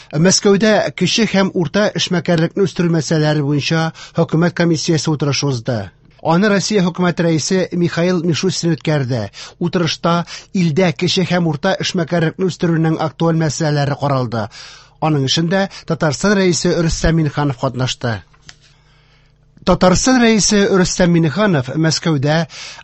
Мәскәүдә кече һәм урта эшмәкәрлекне үстерү мәсьәләләре буенча хөкүмәт комиссиясе утырышы узды. Аны Россия хөкүмәте рәисе Михаил Мишустин үткәрде. Утырышта илдә кече һәм урта эшмәкәрлекне үстерүнең актуаль мәсьәләләре каралды. Аның эшендә Татарстан рәисе Рөстәм Миңнеханов катнашты. Татарстан рәисе Рөстәм Миңнеханов Мәскәүдә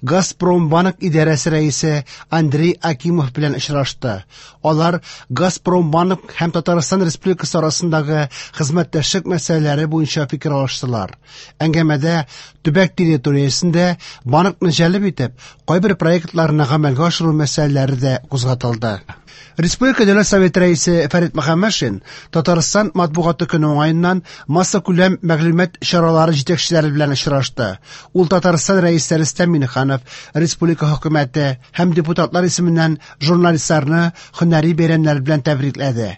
Газпромбанк идарәсе рәисе Андрей Акимов белән очрашты. Алар Газпромбанк һәм Татарстан Республикасы арасындагы хезмәттәшлек мәсьәләләре буенча фикер алыштылар. Әңгәмәдә төбәк территориясендә банкны җәлеп итеп, кайбер проектларны гамәлгә ашыру мәсьәләләре дә кузгатылды. Республика Дәүләт Советы рәисе Фәрит Мөхәммәтшин Татарстан матбугаты көне уңаеннан массакүләм мәгълүмат чаралары җитәкчеләре белән очрашты. Ул Татарстан рәисе Рөстәм Миңнеханов, республика хөкүмәте һәм депутатлар исеменнән журналистларны һөнәри бәйрәмнәр белән тәбрикләде.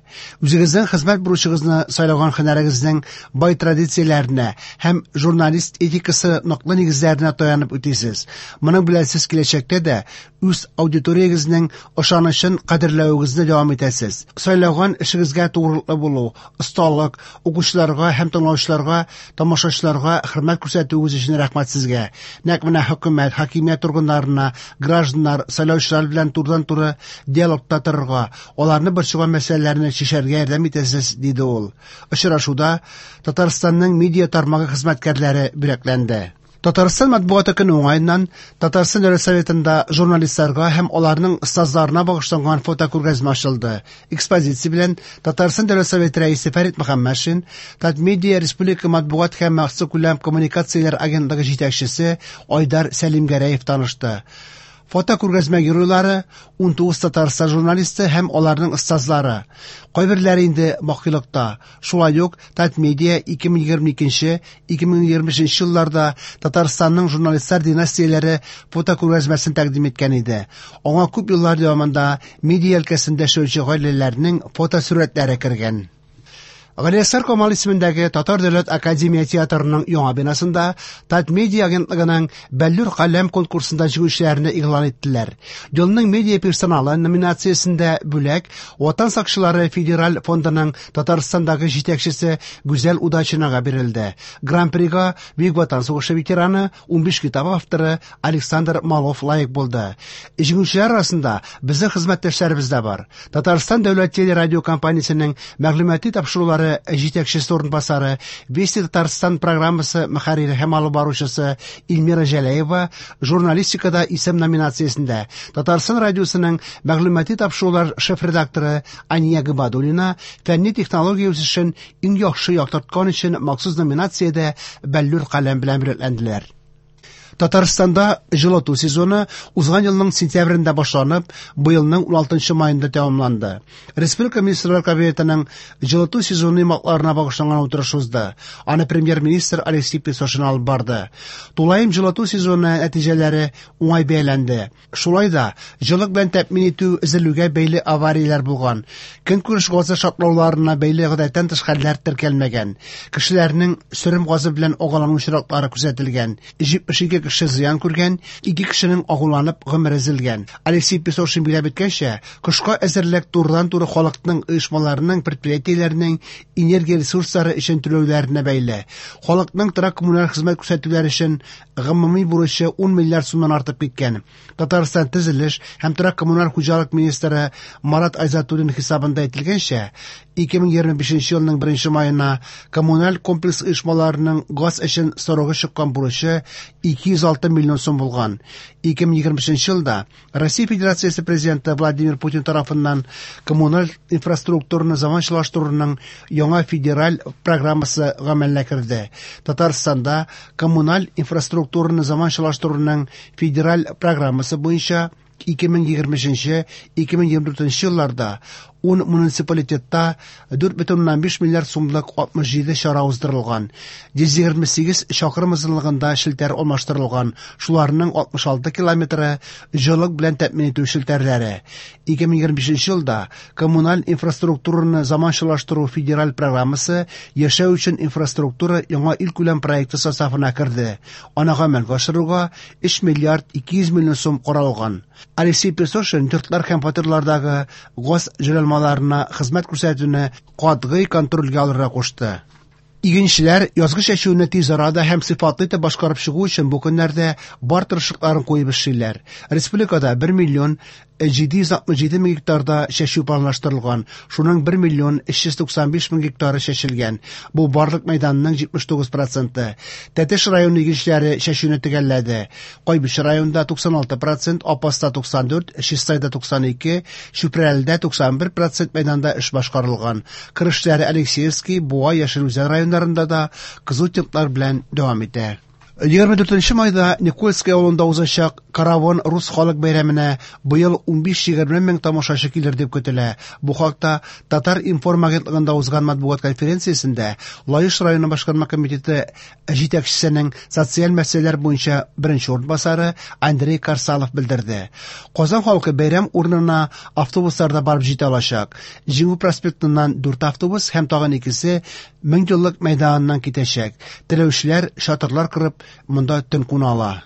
Үзегезнең хезмәт бурычыгызны сайлаган һөнәрегезнең бай традицияләренә һәм журналист этикасы ныклы нигезләренә таянып үтисез. Моның белән сез киләчәктә дә үз аудиториягезнең ышанычын кадерләвегезне дәвам итәсез. Сайлаган эшегезгә тугрылыклы булу, осталык, укучыларга һәм тыңлаучыларга, тамашачыларга хөрмәт күрсәтүегез өчен рәхмәт сезгә. Нәкъ менә хөкүмәт, хакимият органнарына, гражданнар, сайлаучылар белән турыдан-туры диалогта торырга, аларны борчыган мәсьәләләрне чишәргә ярдәм итәсез, диде ул. Очрашуда Татарстанның медиа тармагы хезмәткәрләре бүләкләнде. Татарстан матбугаты көне уңаеннан Татарстан Дәүләт Советында журналистларга һәм аларның остазларына багышланган фотокүргәзмә ачылды. Экспозиция белән Татарстан Дәүләт Советы рәисе Фәрит Мөхәммәтшин, Татмедиа республика матбугат һәм массакүләм коммуникацияләр агентлыгы җитәкчесе Айдар Сәлимгәрәев танышты. Фотокүргәзмә геройлары 19 Татарстан журналисты һәм аларның остазлары. Кайберләре инде бакыйлыкта. Шулай ук Татмедиа 2022-2025 елларда Татарстанның журналистлар династияләре фотокүргәзмәсен тәкъдим иткән иде. Аңа күп еллар дәвамында медиа өлкәсендә эшләүче гаиләләрнең фотосурәтләре кергән. Галиәсгар Камал исемендәге Татар дәүләт академия театрының яңа бинасында Татмедиа агентлыгының Бәллүр каләм конкурсында җиңүчеләрне игълан иттеләр. Елның медиа персоналы номинациясендә бүләк Ватан сакчылары федераль фондының Татарстандагы җитәкчесе Гүзәл Удачинага бирелде. Гран-прига Бөек Ватан сугышы ветераны, 15 китап авторы Александр Малов лаек булды. Җиңүчеләр арасында безнең хезмәттәшләребез дә бар. Татарстан дәүләт телерадиокомпаниясенең мәгълүмати тапшырулары җитәкчесе урынбасары, Вести Татарстан программасы мөхәррире һәм алып баручысы Эльмира Җәләева журналистикада исем номинациясендә, Татарстан радиосының мәгълүмати тапшырулар шеф-редакторы Ания Гыбадуллина фәнни технология үсешен иң яхшы яктырткан өчен махсус номинациядә Бәллүр каләм белән бүләкләнделәр. Татарстанда җылыту сезоны узган елның сентябрендә башланып, быелның 16 маенда тәмамланды. Республика Министрлар Кабинетының җылыту сезоны йомгакларына багышланган утырыш узды. Аны премьер-министр Алексей Песошин алып барды. Тулаем җылыту сезоны нәтиҗәләре уңай бәяләнде. Шулай да җылылык белән тәэмин итү өзелүгә бәйле аварияләр булган. Көнкүреш газы шартлауларына бәйле гадәттән тыш хәлләр теркәлмәгән. Кешеләрнең сөрем газы белән агулану очраклары күзәтелгән. 72 кеше зыян күргән, 2 кешенең агуланып гомере өзелгән. Алексей Песошин билгеләп үткәнчә, кышка әзерлек турыдан-туры халыкның, оешмаларның, предприятиеләрнең энергия ресурслары өчен түләүләренә бәйле. Халыкның торак-коммуналь хезмәт күрсәтүләр өчен гомуми бурычы 10 миллиард сумнан артып киткән. Татарстан төзелеш һәм торак-коммуналь хуҗалык министры Марат Айзатуллин хисабында әйтелгәнчә, 2025 елның 1 маена коммуналь комплекс оешмаларының газ өчен срогы чыккан бурычы 206 миллион сум булган. 2025 елда Россия Федерациясе Президенты Владимир Путин тарафыннан коммуналь инфраструктураны заманчалаштыруның яңа федераль программасы гамәлгә керде. Татарстанда коммуналь инфраструктураны заманчалаштыруның федераль программасы буенча 2023-2024 елларда 10 муниципалитетта 4,5 миллиард сумлык 67 чара уздырылган. 128 чакрым озынлыгында челтәр алмаштырылган, шуларның 66 километры җылылык белән тәэмин итү челтәрләре. 2025 елда коммуналь инфраструктураны заманчалаштыру федераль программасы яшәү өчен инфраструктура яңа илкүләм проекты составына керде. Аны гамәлгә ашыруга 3 миллиард 200 миллион сум каралган. Алексей Песошин йортлар һәм фатирлардагы газ җайланмалары оешмаларына хезмәт күрсәтүне катгый контрольгә алырга кушты. Игенчеләр язгы чәчүне тиз арада һәм сыйфатлы итеп башкарып чыгу өчен бу көннәрдә бар тырышлыкларын куеп эшлиләр. Республикада 1 миллион 767 мең гектарда чәчү планлаштырылган, шуның 1 миллион 395 мең гектары чәчелгән. Бу барлык мәйданның 79 проценты. Тәтеш районы игенчеләре чәчүне төгәлләде. Кайбыч районында 96 процент, Апаста 94, Чистайда 92, Чүпрәледә 91 процент мәйданда эш башкарылган. Кыр эшләре Алексеевский, Буа, Яшел Үзән районнарында да кызу темплар белән дәвам итә. 24 майда Никольское авылында узачак Каравон рус халык бәйрәменә быел 15-20 мең тамашачы килер дип көтелә. Бу хакта Татар-информ агентлыгында узган матбугат конференциясендә Лаеш районы башкарма комитеты җитәкчесенең социаль мәсьәләләр буенча беренче урынбасары Андрей Карсалов белдерде. Казан халкы бәйрәм урынына автобусларда барып җитә алачак. Җиңү проспектыннан 4 автобус һәм тагын икесе Меңьеллык мәйданыннан китәчәк. Теләүчеләр чатырлар корып, монда төн куна ала.